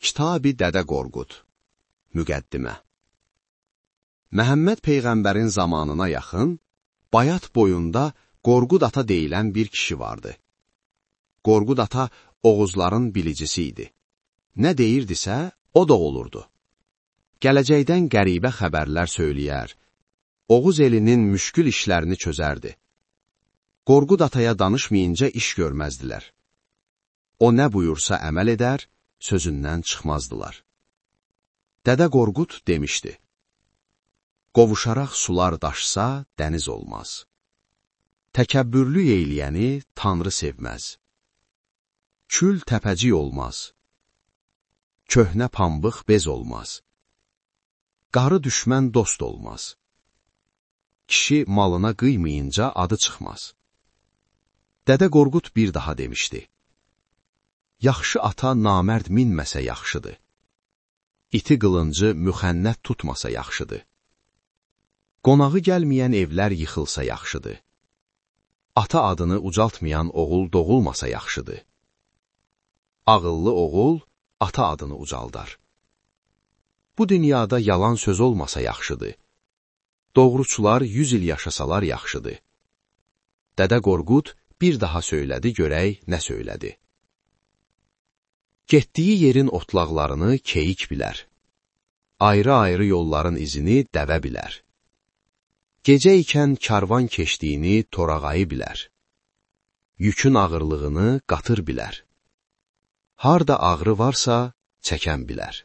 Kitab-ı Dədə Qorqud Müqəddimə Məhəmməd Peyğəmbərin zamanına yaxın, Bayat boyunda Qorqud ata deyilən bir kişi vardı. Qorqud ata Oğuzların bilicisi idi. Nə deyirdisə, o da olurdu. Gələcəkdən qəribə xəbərlər söyləyər, Oğuz elinin müşkül işlərini çözərdi. Qorqud ataya danışmayınca iş görməzdilər. O nə buyursa əməl edər, sözündən çıxmazdılar. Dədə Qorqud demişdi, qovuşaraq sular daşsa, dəniz olmaz. Təkəbbürlü eyləyəni Tanrı sevməz. Kül təpəcik olmaz. Köhnə pambıq bez olmaz. Qarı düşmən dost olmaz. Kişi malına qıymayınca adı çıxmaz. Dədə Qorqud bir daha demişdi, yaxşı ata namərd minməsə yaxşıdır. İti qılıncı müxənnət tutmasa yaxşıdır. Qonağı gəlməyən evlər yıxılsa yaxşıdır. Ata adını ucaltmayan oğul doğulmasa yaxşıdır. Ağıllı oğul ata adını ucaldar. Bu dünyada yalan söz olmasa yaxşıdır. Doğruçular 100 il yaşasalar yaxşıdır. Dədə Qorqud bir daha söylədi, görək nə söylədi. Getdiyi yerin otlaqlarını keyik bilər. Ayrı-ayrı yolların izini dəvə bilər. Gecə ikən karvan keçdiyini torağayı bilər. Yükün ağırlığını qatır bilər. Harda ağrı varsa, çəkən bilər.